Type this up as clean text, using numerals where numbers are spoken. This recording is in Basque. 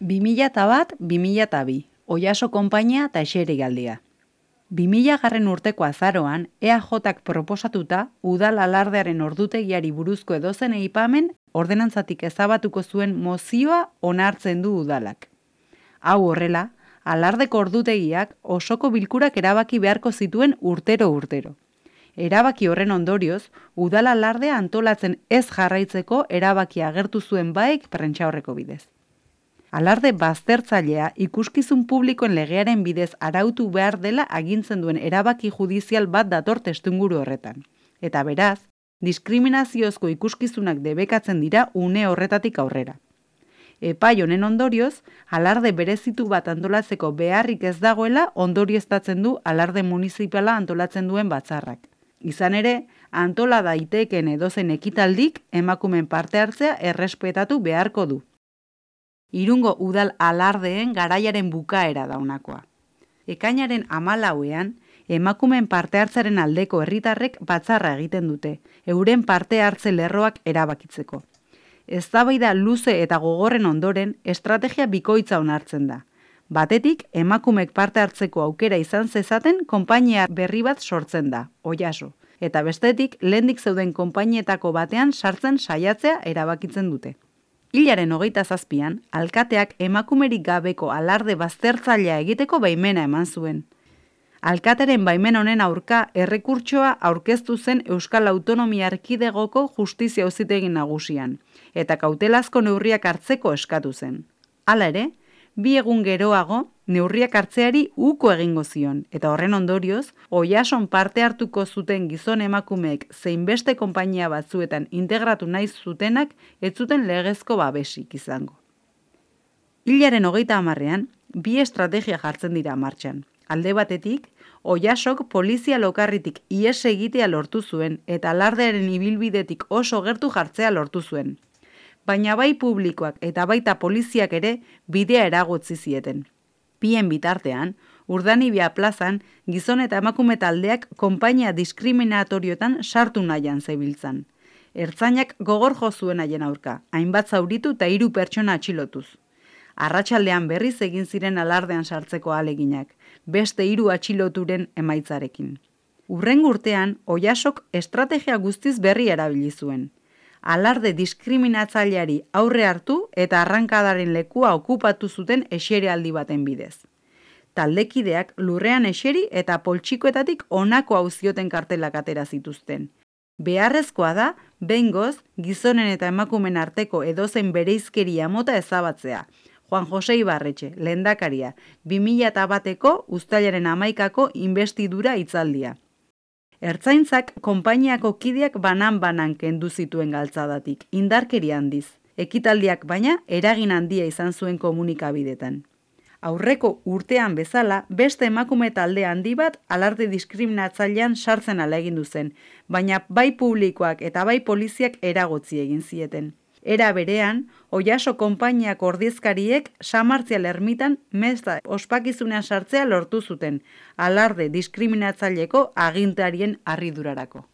2001-2002, Oiaso konpainia eta eserigaldia. 2000 urteko azaroan, EAJak proposatuta, udal alardearen ordutegiari buruzko edozen aipamen ordenantzatik ezabatuko zuen mozioa onartzen du udalak. Hau horrela, alardeko ordutegiak osoko bilkurak erabaki beharko zituen urtero. Erabaki horren ondorioz, udal alardea antolatzen ez jarraitzeko erabaki agertu zuen baek prentsaurreko bidez. Alarde baztertzailea ikuskizun publikoen legearen bidez arautu behar dela agintzen duen erabaki judizial bat dator testuinguru horretan. Eta beraz, diskriminaziozko ikuskizunak debekatzen dira une horretatik aurrera. Epai honen ondorioz, alarde berezitu bat antolatzeko beharrik ez dagoela ondorioztatzen du alarde municipala antolatzen duen batzarrak. Izan ere, antola daitekeen edozen ekitaldik emakumeen parte hartzea errespetatu beharko du. Irungo udal alardeen garaiaren bukaera daunakoa. Ekainaren 14ean, emakumeen parte hartzaren aldeko herritarrek batzarra egiten dute, euren parte hartze lerroak erabakitzeko. Eztabaida luze eta gogorren ondoren, estrategia bikoitza onartzen da. Batetik, emakumeek parte hartzeko aukera izan zezaten konpainia berri bat sortzen da, Oiaso, eta bestetik, lehendik zeuden konpainietako batean sartzen saiatzea erabakitzen dute. Hilaren 27an, alkateak emakumerik gabeko alarde baztertzailea egiteko baimena eman zuen. Alkateren baimen honen aurka errekurtsoa aurkeztu zen Euskal Autonomia Erkidegoko Justizia Auzitegi Nagusian, eta kautelazko neurriak hartzeko eskatu zen. Hala ere, 2 egun geroago, neurriak hartzeari uko egingo zion, eta horren ondorioz, Oiason parte hartuko zuten gizon emakumeek zein beste konpainia batzuetan integratu nahi zutenak ez zuten legezko babesik izango. Hilaren 30ean, 2 estrategia jartzen dira martxan. Alde batetik, Oiasok polizia lokarritik ihes egitea lortu zuen eta alardearen ibilbidetik oso gertu jartzea lortu zuen. Baina bai publikoak eta baita poliziak ere bidea eragotzi zieten. Bien bitartean, Urdanibia plazan gizon eta emakume taldeak konpainia diskriminatorioetan sartu nahian zebiltzan. Ertzainak gogor jo zuen haien aurka, hainbat zauritu eta 3 pertsona atxilotuz. Arratsaldean berriz egin ziren alardean sartzeko ahaleginak, beste 3 atxiloturen emaitzarekin. Hurrengo urtean, Oiasok estrategia guztiz berri erabili zuen. Alarde diskriminatzaileari aurre hartu eta arrankadaren lekua okupatu zuten eserialdi baten bidez. Taldekideak lurrean eseri eta poltsikoetatik honako auzioten kartelak atera zituzten. Beharrezkoa da, behingoz, gizonen eta emakumen arteko edozein bereizkeria mota ezabatzea. Juan Jose Ibarretxe, lehendakaria, 2001ko uztailaren 11ako inbestidura hitzaldia. Ertzaintzak konpainiako kideak banan-banan kendu zituen galtzadatik, indarkeria handiz. Ekitaldiak baina eragin handia izan zuen komunikabidetan. Aurreko urtean bezala, beste emakume talde handi bat alarde diskriminatzailean sartzen ahalegindu zen, baina bai publikoak eta bai poliziak eragotzi egin zieten. Era berean, Oiaso konpainiako ordezkariek Samartzial ermitan meza ospakizunean sartzea lortu zuten, alarde diskriminatzaileko agintarien harridurarako.